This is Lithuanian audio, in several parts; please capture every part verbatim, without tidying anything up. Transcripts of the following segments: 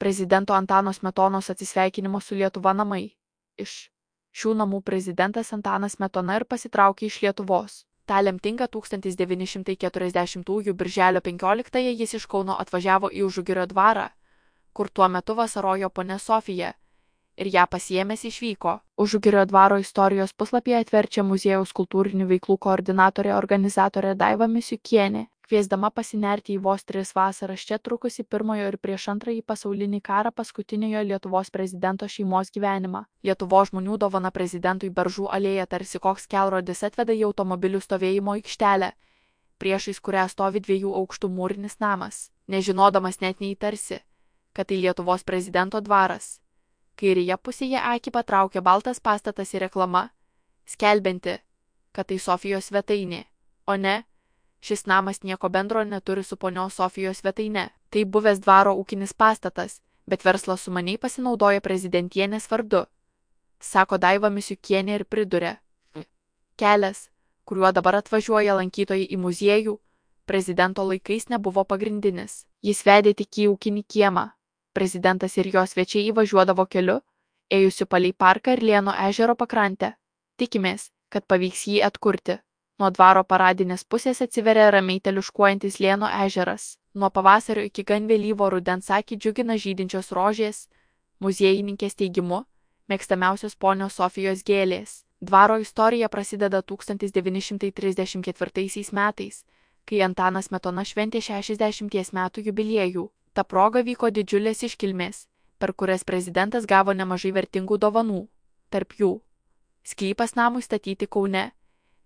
Prezidento Antano Smetonos atsisveikinimo su Lietuva namai. Iš šių namų prezidentas Antanas Smetona ir pasitraukė iš Lietuvos. Ta lemtinga tūkstantis devyni šimtai keturiasdešimtųjų birželio penkioliktąją jis iš Kauno atvažiavo į Užugirio dvarą, kur tuo metu vasarojo ponia Sofija, ir ją pasiėmęs išvyko. Užugirio dvaro istorijos puslapyje atverčia muziejaus kultūrinių veiklų koordinatorė organizatorė Daiva Misiukienė, kviesdama pasinerti į vos tris vasaras čia trukusi pirmojo ir prieš antrąjį pasaulinį karą paskutiniojo Lietuvos prezidento šeimos gyvenimą. Lietuvos žmonių dovana prezidentui Beržų alėja tarsi koks kelrodis atveda į automobilių stovėjimo aikštelę, priešais kurią stovi dviejų aukštų mūrinis namas. Nežinodamas net neįtarsi, kad tai Lietuvos prezidento dvaras. Kairėje pusėje akį patraukia baltas pastatas ir reklama, skelbianti, kad tai Sofijos svetainė, o ne, šis namas nieko bendro neturi su ponios Sofijos svetaine. Tai buvęs dvaro ūkinis pastatas, bet verslas sumaniai pasinaudoja prezidentienės vardu, sako Daiva Misiukienė ir priduria. Kelias, kuriuo dabar atvažiuoja lankytojai į muziejų, prezidento laikais nebuvo pagrindinis. Jis vedė tik į ūkinį kiemą. Prezidentas ir jo svečiai įvažiuodavo keliu, ėjusiu palei parką ir Lėno ežero pakrantę. Tikimės, kad pavyks jį atkurti. Nuo dvaro paradinės pusės atsiveria ramiai teliuškuojantis Lėno ežeras. Nuo pavasario iki gan vėlyvo rudens akį džiugina žydinčios rožės, muziejininkės teigimu, mėgstamiausios ponios Sofijos gėlės. Dvaro istorija prasideda tūkstantis devyni šimtai trisdešimt ketvirtaisiais metais, kai Antanas Smetona šventė šešiasdešimties metų jubiliejų. Ta proga vyko didžiulės iškilmės, per kurias prezidentas gavo nemažai vertingų dovanų. Tarp jų sklypas namui statyti Kaune,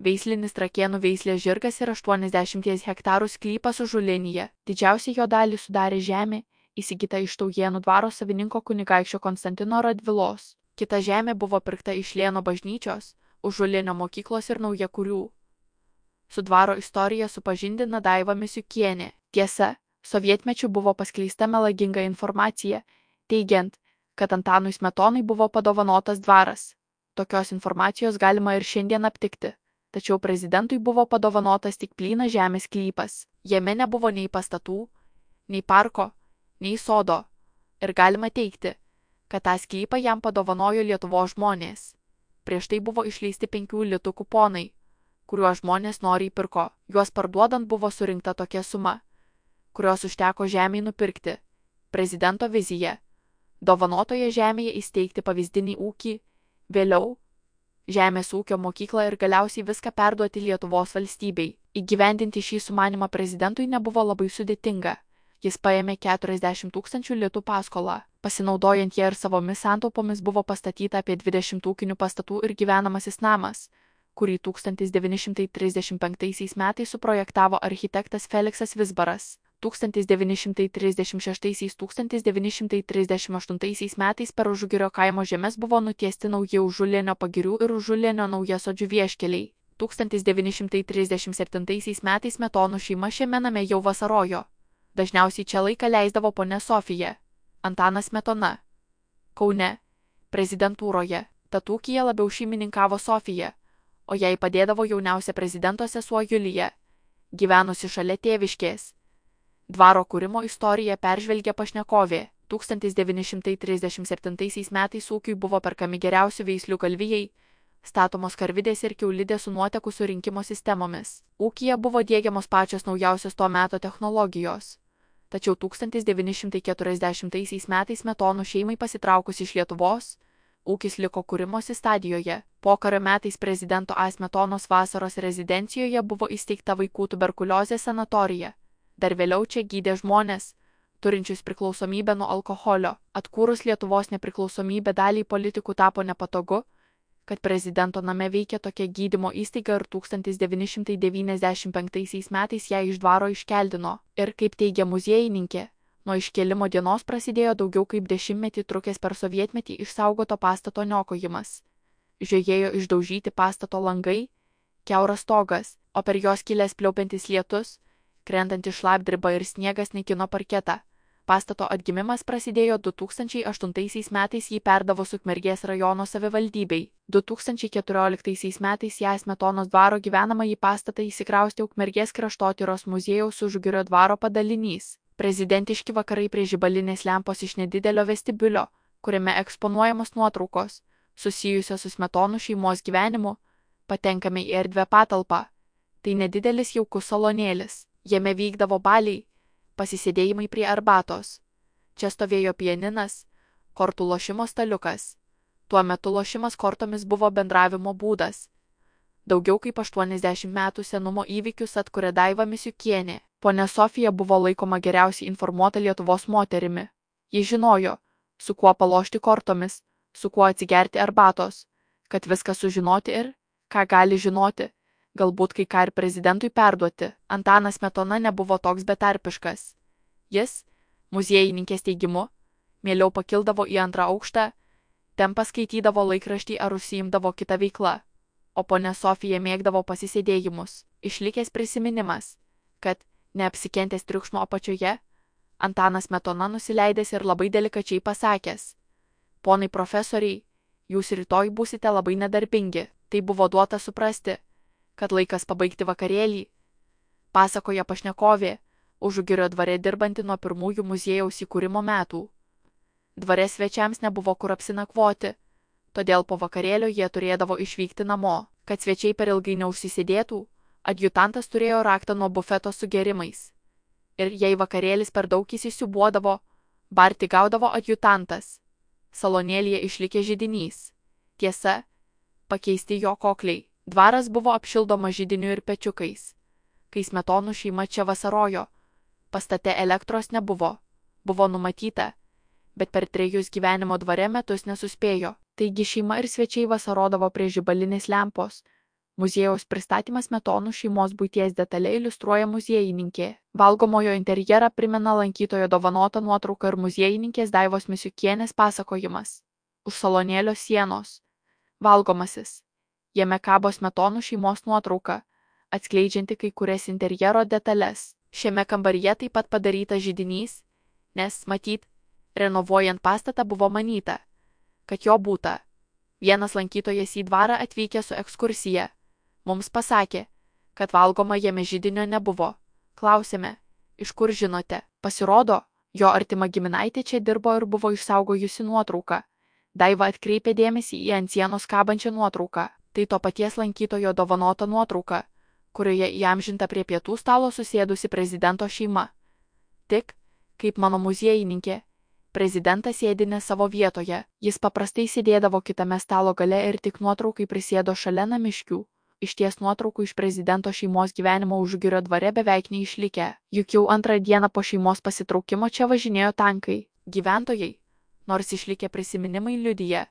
veislinis Trakėnų veislės žirgas ir aštuoniasdešimties hektarų sklypas Užulėnyje. Didžiausią jo dalį sudarė žemė, įsigyta iš Taujėnų dvaro savininko kunigaikščio Konstantino Radvilos. Kita žemė buvo pirkta iš Lėno bažnyčios, Užulėnio mokyklos ir Naujakurių. Su dvaro istorija supažindina Daiva Misiukienė. Tiesa, sovietmečiu buvo paskleista melaginga informacija, teigiant, kad Antanui Smetonai buvo padovanotas dvaras. Tokios informacijos galima ir šiandien aptikti, tačiau prezidentui buvo padovanotas tik plynas žemės sklypas. Jame nebuvo nei pastatų, nei parko, nei sodo, ir galima teigti, kad tą sklypą jam padovanojo Lietuvos žmonės. Prieš tai buvo išleisti penkių litų kuponai, kuriuos žmonės noriai pirko. Juos parduodant buvo surinkta tokia suma, kurios užteko žemei nupirkti. Prezidento vizija – dovanotoje žemėje įsteigti pavyzdinį ūkį, vėliau žemės ūkio mokyklą ir galiausiai viską perduoti Lietuvos valstybei. Įgyvendinti šį sumanimą prezidentui nebuvo labai sudėtinga. Jis paėmė keturiasdešimt tūkstančių litų paskolą. Pasinaudojant ją ir savomis santaupomis buvo pastatyta apie dvidešimt ūkinių pastatų ir gyvenamasis namas, kurį tūkstantis devyni šimtai trisdešimt penktaisiais metais suprojektavo architektas Feliksas Vizbaras. tūkstantis devyni šimtai trisdešimt šeštaisiais - tūkstantis devyni šimtai trisdešimt aštuntaisiais metais per Užugirio kaimo žemes buvo nutiesti nauji Užulėnio pagirių ir Užulėnio Naujasodžių vieškeliai. tūkstantis devyni šimtai trisdešimt septintaisiais metais Smetonų šeima šiame name jau vasarojo. Dažniausiai čia laiką leisdavo ponia Sofija. Antanas Smetona. Kaune, prezidentūroje, tad ūkyje labiau šeimininkavo Sofija, o jai padėdavo jauniausia prezidento sesuo Julija, gyvenusi šalia tėviškės. Dvaro kūrimo istoriją peržvelgia pašnekovė. tūkstantis devyni šimtai trisdešimt septintaisiais metais ūkiui buvo perkami geriausių veislių galvijai, statomos karvidės ir kiaulidės su nuotekų surinkimo sistemomis. Ūkyje buvo diegiamos pačios naujausios to meto technologijos. Tačiau tūkstantis devyni šimtai keturiasdešimtaisiais metais Smetonų šeimai pasitraukus iš Lietuvos, ūkis liko kūrimosi stadijoje. Pokario metais prezidento A. Smetonos vasaros rezidencijoje buvo įsteigta vaikų tuberkuliozės sanatorija. Dar vėliau čia gydė žmonės, turinčius priklausomybę nuo alkoholio. Atkūrus Lietuvos nepriklausomybę daliai politikų tapo nepatogu, kad prezidento name veikia tokia gydymo įstaiga ir tūkstantis devyni šimtai devyniasdešimt penktaisiais metais ją iš dvaro iškeldino. Ir, kaip teigia muziejininkė, nuo iškėlimo dienos prasidėjo daugiau kaip dešimtmetį trukęs per sovietmetį išsaugoto pastato niokojimas. Žiojėjo išdaužyti pastato langai, kiauras stogas, o per jos kilęs pliaupiantis lietus, krentanti šlapdriba ir sniegas naikino parketą. Pastato atgimimas prasidėjo du tūkstančiai aštuntaisiais metais jį perdavus Ukmergės rajono savivaldybei. du tūkstančiai keturioliktaisiais metais ją Smetonos dvaro gyvenamąjį pastatą įsikraustė Ukmergės kraštotyros muziejaus Užugirio dvaro padalinys. Prezidentiški vakarai prie žibalinės lempos iš nedidelio vestibiulio, kuriame eksponuojamos nuotraukos, susijusios su Smetonų šeimos gyvenimu, patenkame į erdvę patalpą. Tai nedidelis jaukus salonėlis. Jame vykdavo baliai, pasisėdėjimai prie arbatos. Čia stovėjo pianinas, kortų lošimo staliukas. Tuo metu lošimas kortomis buvo bendravimo būdas. Daugiau kaip aštuoniasdešimt metų senumo įvykius atkuria Daiva Misiukienė. Ponia Sofija buvo laikoma geriausiai informuota Lietuvos moterimi. Ji žinojo, su kuo palošti kortomis, su kuo atsigerti arbatos, kad viską sužinoti ir, ką gali žinoti, galbūt kai ką ir prezidentui perduoti. Antanas Smetona nebuvo toks betarpiškas. Jis, muziejininkės teigimu, mieliau pakildavo į antrą aukštą, ten paskaitydavo laikraštį ar užsiimdavo kitą veiklą, o ponia Sofija mėgdavo pasisėdėjimus. Išlikęs prisiminimas, kad, neapsikentęs triukšmo apačioje, Antanas Smetona nusileidęs ir labai delikačiai pasakęs: ponai profesoriai, jūs rytoj būsite labai nedarbingi. Tai buvo duota suprasti, kad laikas pabaigti vakarėlį, pasakoja pašnekovė, Užugirio dvare dirbanti nuo pirmųjų muziejaus įkūrimo metų. Dvare svečiams nebuvo kur apsinakvoti, todėl po vakarėlio jie turėdavo išvykti namo. Kad svečiai per ilgai neužsisėdėtų, adjutantas turėjo raktą nuo bufeto su gėrimais. Ir jei vakarėlis per daug įsisiūbuodavo, barti gaudavo adjutantas. Salonėlyje išlikė židinys. Tiesa, pakeisti jo kokliai. Dvaras buvo apšildomas židiniu ir pečiukais. Kai Smetonų šeima čia vasarojo, pastate elektros nebuvo. Buvo numatyta, bet per trejus gyvenimo dvare metus nesuspėjo. Taigi šeima ir svečiai vasarodavo prie žibalinės lempos. Muziejaus pristatymas Smetonų šeimos buities detaliai iliustruoja muziejininkė. Valgomojo interjerą primena lankytojo dovanota nuotrauka ir muziejininkės Daivos Misiukienės pasakojimas. Už salonėlio sienos. Valgomasis. Jame kabo Smetonų šeimos nuotrauka, atskleidžianti kai kurias interjero detalės. Šiame kambaryje taip pat padarytas židinys, nes, matyt, renovuojant pastatą buvo manyta, kad jo būta. Vienas lankytojas į dvarą atvykė su ekskursija. Mums pasakė, kad valgoma jame židinio nebuvo. Klausėme, iš kur žinote? Pasirodo, jo artima giminaitė čia dirbo ir buvo išsaugojusi nuotrauką. Daiva atkreipė dėmesį į ant sienos kabančią nuotrauką. Tai to paties lankytojo dovanota nuotrauka, kurioje įamžinta prie pietų stalo susėdusi prezidento šeima. Tik, kaip mano muziejininkė, prezidentas sėdi ne savo vietoje. Jis paprastai sėdėdavo kitame stalo gale ir tik nuotraukai prisėdo šalia namiškių. Iš ties nuotraukų iš prezidento šeimos gyvenimo Užugirio dvare beveik neišlikę. Juk jau antrą dieną po šeimos pasitraukimo čia važinėjo tankai. Gyventojai, nors išlikę prisiminimai liudija,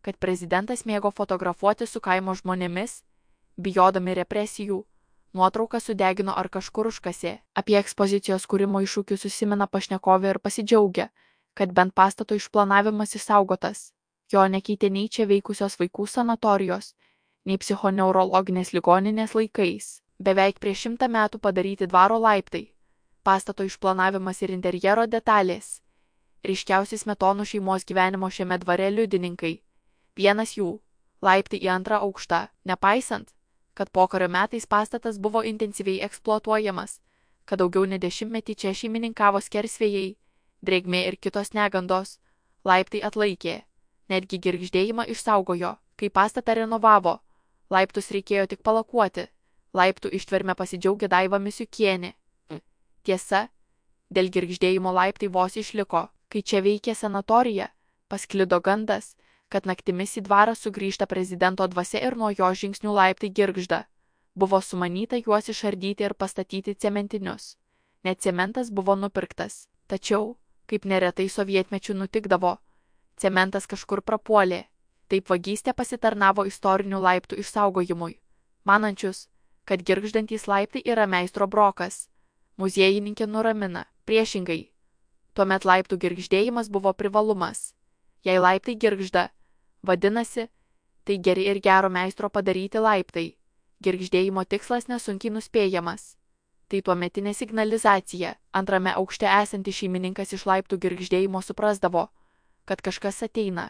kad prezidentas mėgo fotografuoti su kaimo žmonėmis, bijodami represijų, nuotrauką sudegino ar kažkur užkasė. Apie ekspozicijos kūrimo iššūkius susimena pašnekovė ir pasidžiaugia, kad bent pastato išplanavimas išsaugotas. Jo nekeitė nei čia veikusios vaikų sanatorijos, nei psichoneurologinės ligoninės laikais. Beveik prieš šimtą metų padaryti dvaro laiptai, pastato išplanavimas ir interjero detalės. Ryškiausi Smetonų šeimos gyvenimo šiame dvare liudininkai. Vienas jų – laiptai į antrą aukštą. Nepaisant, kad pokario metais pastatas buvo intensyviai eksploatuojamas, kad daugiau nei dešimtmetį čia šeimininkavo skersvėjai, drėgmė ir kitos negandos, laiptai atlaikė, netgi girgždėjimą išsaugojo. Kai pastatą renovavo, laiptus reikėjo tik palakuoti. Laiptų ištverme pasidžiaugė Daiva Misiukienė. Tiesa, dėl girgždėjimo laiptai vos išliko. Kai čia veikė sanatorija, pasklido gandas, kad naktimis į dvarą sugrįžta prezidento dvasia ir nuo jo žingsnių laiptai girgžda. Buvo sumanyta juos išardyti ir pastatyti cementinius. Net cementas buvo nupirktas. Tačiau, kaip neretai sovietmečių nutikdavo, cementas kažkur prapuolė. Taip vagystė pasitarnavo istorinių laiptų išsaugojimui. Manančius, kad girgždantys laiptai yra meistro brokas, muziejininkė nuramina. Priešingai, tuomet laiptų girgždėjimas buvo privalumas. Jei laiptai girgžda, vadinasi, tai geri ir gero meistro padaryti laiptai. Girgždėjimo tikslas nesunkiai nuspėjamas. Tai tuometinė signalizacija. Antrame aukšte esantis šeimininkas iš laiptų girgždėjimo suprasdavo, kad kažkas ateina.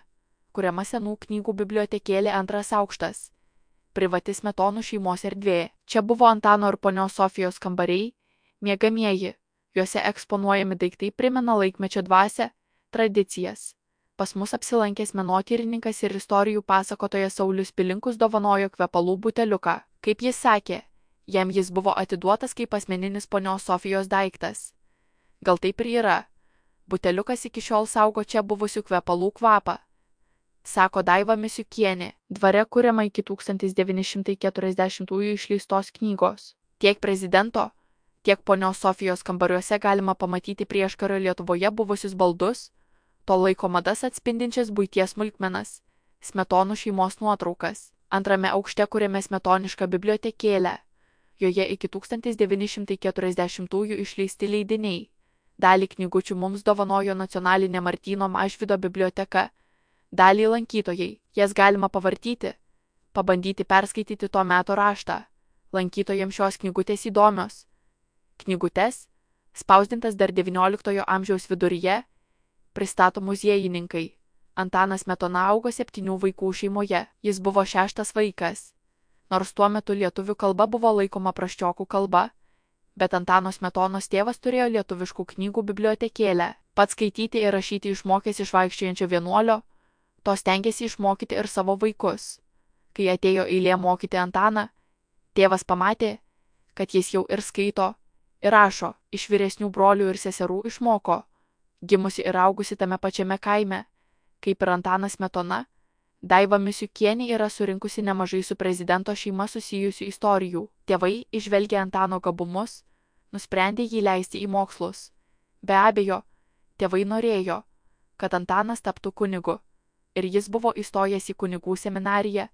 Kuriama senų knygų bibliotekėlė antras aukštas. Privati Smetonų šeimos erdvė. Čia buvo Antano ir ponios Sofijos kambariai, miegamieji, Juose eksponuojami daiktai primena laikmečio dvasią, tradicijas. Pas mus apsilankęs menotyrininkas ir istorijų pasakotojas Saulius Pilinkus dovanojo kvepalų buteliuką. Kaip jis sakė, jam jis buvo atiduotas kaip asmeninis ponios Sofijos daiktas. Gal taip ir yra. Buteliukas iki šiol saugo čia buvusių kvepalų kvapą, sako Daiva Misiukienė, dvare kuriama iki tūkstantis devyni šimtai keturiasdešimtųjų išleistos knygos. Tiek prezidento, tiek ponios Sofijos kambariuose galima pamatyti prieškario Lietuvoje buvusius baldus, to laiko madas atspindinčias buities smulkmenas, Smetonų šeimos nuotraukas. Antrame aukšte kuriame smetonišką bibliotekėlę. Joje iki tūkstantis devyni šimtai keturiasdešimtųjų išleisti leidiniai. Dalį knygučių mums dovanojo Nacionalinė Martyno Mažvydo biblioteka. Dalį lankytojai, jas galima pavartyti, pabandyti perskaityti to meto raštą. Lankytojams šios knygutės įdomios. Knygutes, spausdintas dar devynioliktojo amžiaus viduryje, pristato muziejininkai. Antanas Smetona augo septynių vaikų šeimoje, jis buvo šeštas vaikas. Nors tuo metu lietuvių kalba buvo laikoma prasčiokų kalba, bet Antano Smetonos tėvas turėjo lietuviškų knygų bibliotekėlę. Pats skaityti ir rašyti išmokęs iš vaikščiojančio vienuolio, to stengėsi išmokyti ir savo vaikus. Kai atėjo eilė mokyti Antaną, tėvas pamatė, kad jis jau ir skaito, ir rašo, iš vyresnių brolių ir seserų išmoko. Gimusi ir augusi tame pačiame kaime, kaip ir Antanas Smetona, Daiva Misiukienė yra surinkusi nemažai su prezidento šeima susijusių istorijų. Tėvai, išvelgę Antano gabumus, nusprendė jį leisti į mokslus. Be abejo, tėvai norėjo, kad Antanas taptų kunigu, ir jis buvo įstojęs į kunigų seminariją,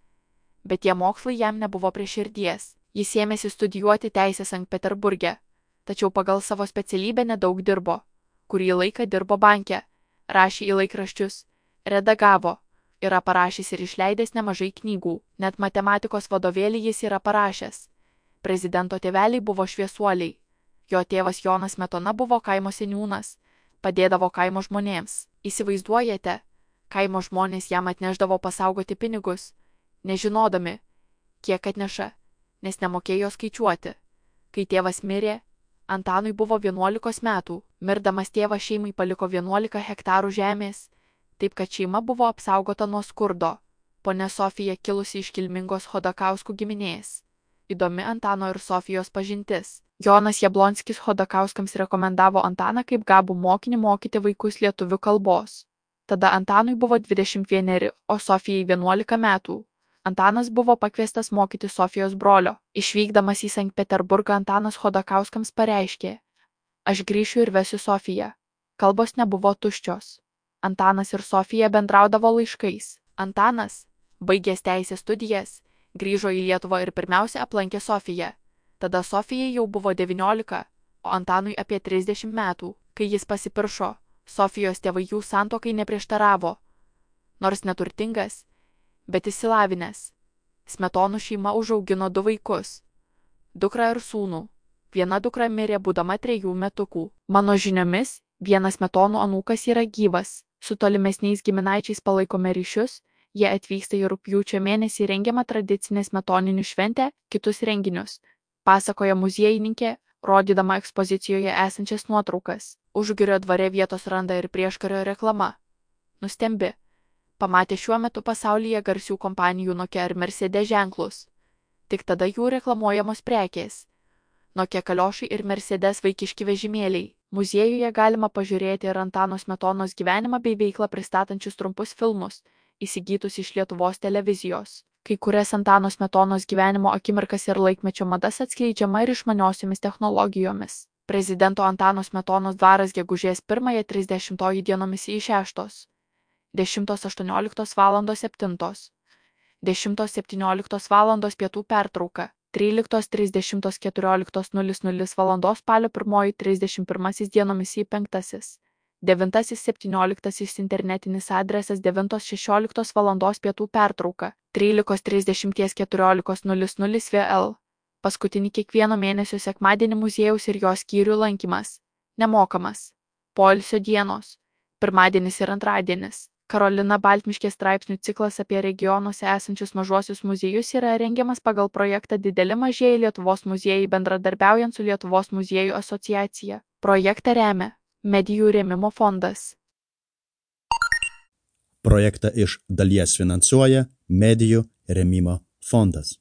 bet tie mokslai jam nebuvo prie širdies. Jis ėmėsi studijuoti teisę Sankt Peterburge, tačiau pagal savo specialybę nedaug dirbo. Kurį laiką dirbo banke, rašė į laikraščius, redagavo, yra parašęs ir išleidęs nemažai knygų, net matematikos vadovėlį jis yra parašęs. Prezidento tėveliai buvo šviesuoliai. Jo tėvas Jonas Smetona buvo kaimo seniūnas, padėdavo kaimo žmonėms. Įsivaizduojate, kaimo žmonės jam atneždavo pasaugoti pinigus, nežinodami, kiek atneša, nes nemokėjo skaičiuoti. Kai tėvas mirė, Antanui buvo vienuolikos metų, mirdamas tėvas šeimai paliko vienuolika hektarų žemės, taip kad šeima buvo apsaugota nuo skurdo. Ponia Sofija kilusi iš kilmingos Chodakauskų giminės. Įdomi Antano ir Sofijos pažintis. Jonas Jablonskis Chodakauskams rekomendavo Antaną kaip gabų mokinį mokyti vaikus lietuvių kalbos. Tada Antanui buvo dvidešimt vieneri, o Sofijai vienuolika metų. Antanas buvo pakviestas mokyti Sofijos brolio. Išvykdamas į Sankt Peterburgą Antanas Chodakauskams pareiškė: aš grįšiu ir vesiu Sofiją. Kalbos nebuvo tuščios. Antanas ir Sofija bendraudavo laiškais. Antanas, baigęs teisės studijas, grįžo į Lietuvą ir pirmiausia aplankė Sofiją. Tada Sofijai jau buvo devyniolika, o Antanui apie trisdešimt metų. Kai jis pasipiršo, Sofijos tėvai jų santuokai neprieštaravo. Nors neturtingas, bet išsilavinęs. Smetonų šeima užaugino du vaikus – dukrą ir sūnų. Viena dukra mirė būdama trejų metukų. Mano žiniomis, vienas Smetonų anūkas yra gyvas. Su tolimesniais giminaičiais palaikome ryšius, jie atvyksta į rugpjūčio mėnesį rengiamą tradicinę smetoninių šventę, kitus renginius, pasakoja muziejininkė, rodydama ekspozicijoje esančias nuotraukas. Užgirio dvare vietos randa ir prieškario reklama. Nustembi. Pamatė šiuo metu pasaulyje garsių kompanijų Nokia ir Mercedes ženklus. Tik tada jų reklamuojamos prekės. Nokia kaliošai ir Mercedes vaikiški vežimėliai. Muziejuje galima pažiūrėti ir Antano Smetonos gyvenimą bei veiklą pristatančius trumpus filmus, įsigytus iš Lietuvos televizijos. Kai kurias Antano Smetonos gyvenimo akimirkas ir laikmečio madas atskleidžiama ir išmaniosiomis technologijomis. Prezidento Antano Smetonos dvaras gegužės pirmąją trisdešimtoji dienomis į šeštos. dešimtos aštuonioliktos valandos septintos. dešimtos septynioliktos valandos pietų pertrauka. tryliktos trisdešimtos keturioliktos nulis nulis valandos spalio pirmoji trisdešimt pirmasis dienomis į penktasis. devintasis septynioliktasis internetinis adresas devintos šešioliktos valandos pietų pertrauka. tryliktos trisdešimties keturioliktos nulis nulis vėl. Paskutinį kiekvieno mėnesio sekmadienį muziejaus ir jos skyrių lankymas. Nemokamas. Poilsio dienos. Pirmadienis ir antradienis. Karolina Baltmiškė straipsnių ciklas apie regionuose esančius mažuosius muziejus yra rengiamas pagal projektą Dideli mažieji Lietuvos muziejai bendradarbiaujant su Lietuvos muziejų asociacija. Projektą remia Medijų rėmimo fondas. Projektą iš dalies finansuoja Medijų rėmimo fondas.